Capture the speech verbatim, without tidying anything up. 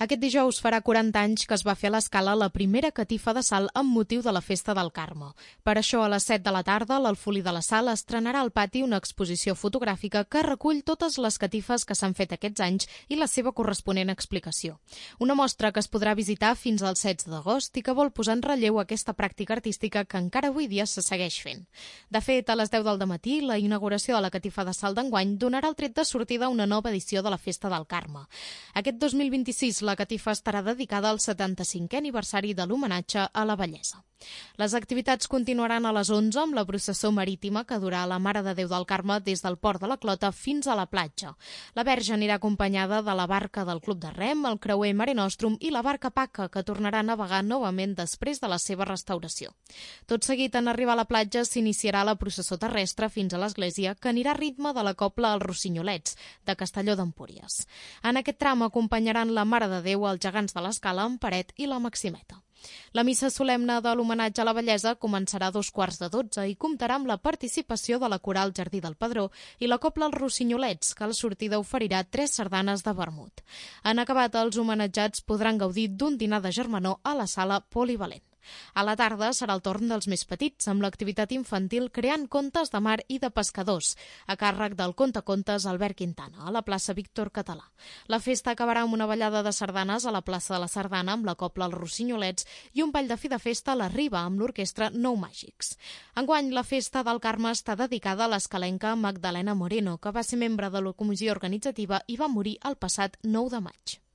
Aquest dijous farà quaranta anys que es va fer a l'Escala la primera catifa de sal amb motiu de la Festa del Carme. Per això, a les set de la tarda, l'Alfolí de la Sal estrenarà al pati una exposició fotogràfica que recull totes les catifes que s'han fet aquests anys i la seva corresponent explicació. Una mostra que es podrà visitar fins al setze d'agost i que vol posar en relleu aquesta pràctica artística que encara avui dia se segueix fent. De fet, a les deu del dematí, la inauguració de la catifa de sal d'enguany donarà el tret de sortida a una nova edició de la Festa del Carme. Aquest dos mil vint-i-sis, la catifa estarà dedicada al setanta-cinquè aniversari de l'homenatge a la bellesa. Les activitats continuaran a les onze amb la processó marítima que durà la Mare de Déu del Carme des del port de la Clota fins a la platja. La Verge anirà acompanyada de la barca del Club de Rem, el creuer Mare Nostrum i la barca Paca, que tornarà a navegar novament després de la seva restauració. Tot seguit, en arribar a la platja, s'iniciarà la processó terrestre fins a l'església, que anirà a ritme de la cobla als Rossinyolets, de Castelló d'Empúries. En aquest tram acompanyaran la Mare de Déu, els gegants de l'Escala, en Paret i la Maximeta. La missa solemne de l'homenatge a la bellesa començarà a dos quarts de dotze i comptarà amb la participació de la coral Jardí del Pedró i la cobla Els Rossinyolets, que a la sortida oferirà tres sardanes de vermut. En acabat, els homenatjats podran gaudir d'un dinar de germanor a la sala polivalent. A la tarda serà el torn dels més petits, amb l'activitat infantil Creant contes de mar i de pescadors, a càrrec del contacontes Albert Quintana, a la plaça Víctor Català. La festa acabarà amb una ballada de sardanes a la plaça de la Sardana amb la cobla Els Rossinyolets i un ball de fi de festa a la Riba amb l'orquestra Nou Màgics. Enguany, la Festa del Carme està dedicada a l'escalenca Magdalena Moreno, que va ser membre de la comissió organitzativa i va morir el passat nou de maig.